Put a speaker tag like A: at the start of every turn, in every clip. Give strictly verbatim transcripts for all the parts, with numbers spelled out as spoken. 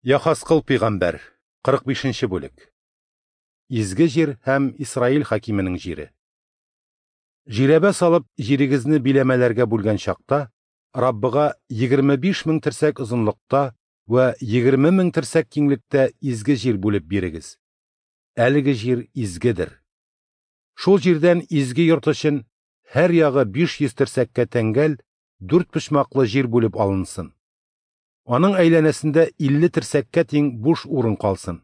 A: Яхаскыл пигамбәр, кырык бишенче бүлек. Изге җир һәм Исраил хакименең җире. Жирәбә салып җирегезне биләмәләргә бүлгән чакта, Раббыга егерме биш мең терсәк озынлыкта вә егерме мең терсәк киңлектә изге җир бүлеп бирегез. Әлеге җир изгедер. Шул җирдән изге йорт өчен һәр ягы биш йөз терсәккә тәңгәл дүрт почмаклы җир бүлеп алынсын. Аның әйләнәсендә илле терсәккә тиң буш урын калсын.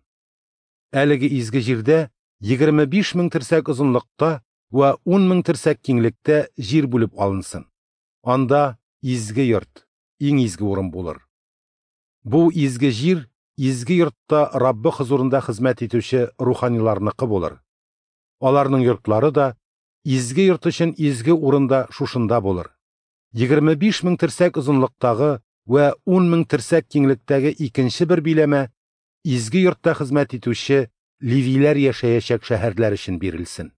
A: Әлеге изге җирдә егерме биш мең терсәк озынлыкта вә ун мең терсәк киңлектә җир бүлеп алынсын. Анда изге йорт, иң изге урын булыр. Бу изге җир изге йортта Раббы хозурында хезмәт итүче руханиларныкы булыр. Аларның йортлары да изге йорт өчен изге урында шушында булыр. Егерме биш мең терсәк озынлыктагы вә ун мең терсәк киңлектәге икенче бер биләмә изге йортта хезмәт итүче левиләр яшәячәк шәһәрләр өчен бирелсен.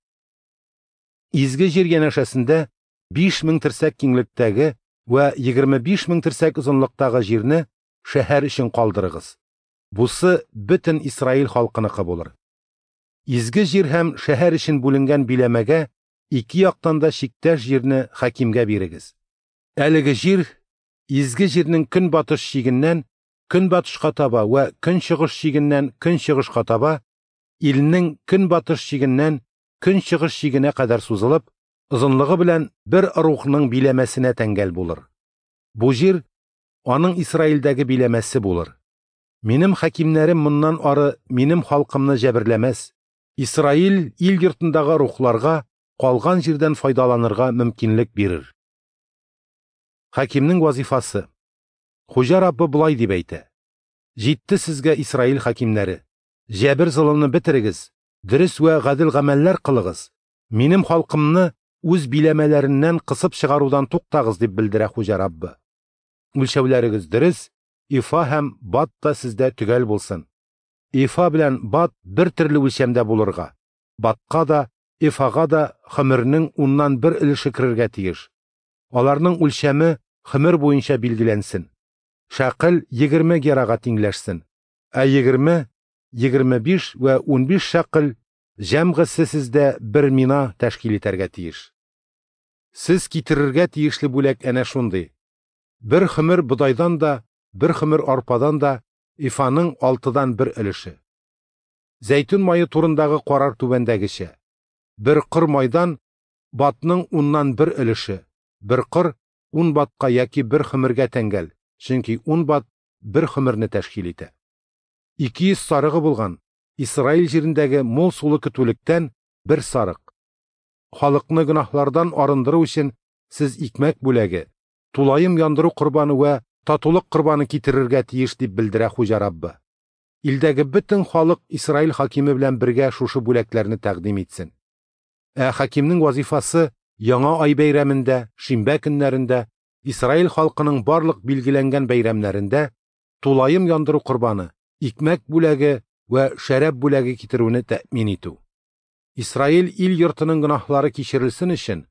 A: Изге җир янәшәсендә биш мең терсәк киңлектәге вә егерме биш мең терсәк озынлыктагы җирне шәһәр өчен калдырыгыз. Бусы бөтен Исраил халкыныкы булыр. Изге җир һәм шәһәр өчен бүленгән биләмәгә ике яктан да чиктәш җирне хакимгә бирегез. Әлеге җир изге җирнең көнбатыш чигеннән көнбатышка таба вә көнчыгыш чигеннән көнчыгышка таба, илнең көнбатыш чигеннән көнчыгыш чигенә кадәр сузылып, озынлыгы белән бер рухның биләмәсенә тәңгәл булыр. Бу җир аның Исраилдәге биләмәсе булыр. Минем хакимнәрем моннан ары минем халкымны җәберләмәс. Исраил ил йортындагы рухларга калган җирдән файдаланырга мөмкинлек бирер. Хакимнең вазифасы. Хуҗа Раббы болай дип әйтә: Җитте сезгә, Исраил хакимнәре, җәбер золымны бетерегез, дөрес вә гадел гамәлләр кылыгыз. Минем халкымны үз биләмәләреннән кысып чыгарудан туктагыз, дип белдерә Хуҗа Раббы. Үлчәүләрегез дөрес, ифа һәм бат та сездә төгәл булсын. Ифа белән бат бер төрле үлчәмдә булырга, батка да, ифага да хөмернең уннан бер өлеше керергә тиеш. Аларның үлчәме хөмер буенча билгеләнсен. Шәкел егерме герага тиңләшсен, ә егерме, егерме биш вә унбиш шәкел җәмгысе сездә бер мина тәшкил итәргә тиеш. Сез китерергә тиешле бүләк әнә шундый: бер хөмер бодайдан да, бер хөмер арпадан да ифаның алтыдан бер өлеше. Зәйтүн мае турындагы карар түбәндәгечә: бер кыр майдан батның уннан бер өлеше, бер кыр ун батка яки бер хөмергә тәңгәл, чөнки ун бат бер хөмерне тәшкил итә. Ике йөз сарыгы булган Исраил җирендәге мул сулы көтүлектән бер сарык. Халыкны гөнаһлардан арындыру өчен сез икмәк бүләге, тулаем яндыру корбаны вә татулык корбаны китерергә тиеш, дип белдерә Хуҗа Раббы. Илдәге бөтен халык Исраил хакиме белән бергә шушы бүләкләрне тәкъдим итсен. Ә хакимнең вазифасы яңа ай бәйрәмендә, шимбә көннәрендә, Исраил халкының барлык билгеләнгән бәйрәмнәрендә тулаем яндыру корбаны, икмәк бүләге вә шәраб бүләге китерүне тәэмин итү. Исраил ил йортының гөнаһлары кичерелсен өчен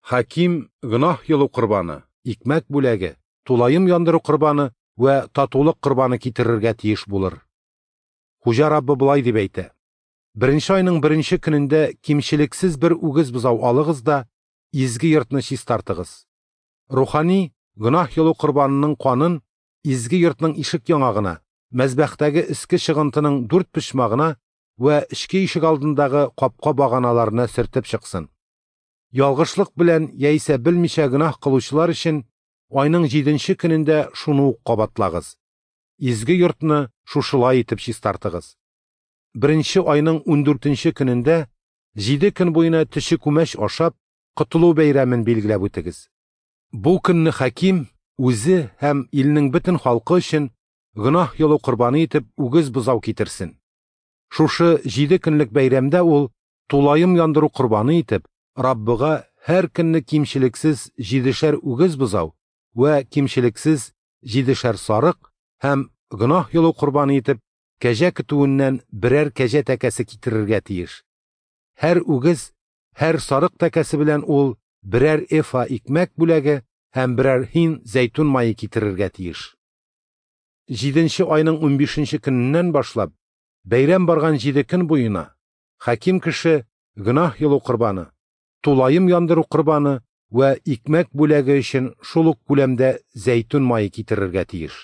A: хаким гөнаһ йолу корбаны, икмәк бүләге, тулаем яндыру корбаны вә татулык корбаны китерергә тиеш булыр. Хуҗа Раббы болай дип әйтә: Беренче айның беренче көнендә кимчелексез бер үгез бозау алыгыз да изге йортны чистартыгыз. Рухани гөнаһ йолу корбанының канын изге йортның ишек яңагына, мәзбәхтәге өске чыгынтының дүрт почмагына вә эчке ишек алдындагы капка баганаларына сөртеп чыксын. Ялгышлык белән яисә белмичә гөнаһ кылучылар өчен айның җиденче көнендә шуны ук кабатлагыз. Изге йортны шушылай итеп чистартыгыз. Беренче айның ундүртенче көнендә җиде көн буена төче күмәч ашап, котылу бәйрәмен билгеләп үтегез. Бу көнне хаким үзе һәм илнең бөтен халкы өчен гөнаһ йолу корбаны итеп үгез бозау китерсен. Шушы җиде көнлек бәйрәмдә ул тулаем яндыру корбаны итеп Раббыга һәр көнне кимчелексез җидешәр үгез бозау вә кимчелексез җидешәр сарык һәм гөнаһ йолу корбаны итеп кәҗә көтүеннән берәр кәҗә тәкәсе китерергә тиеш. Һәр үгез, һәр сарык тәкәсе белән ул берәр эфа икмәк бүләге һәм берәр һин зәйтүн мае китерергә тиеш. Җиденче айның унбишенче көненнән башлап, бәйрәм барган җиде көн буена, хаким кеше гөнаһ йолу корбаны, тулаем яндыру корбаны вә икмәк бүләге өчен шул ук күләмдә зәйтүн мае китерергә тиеш.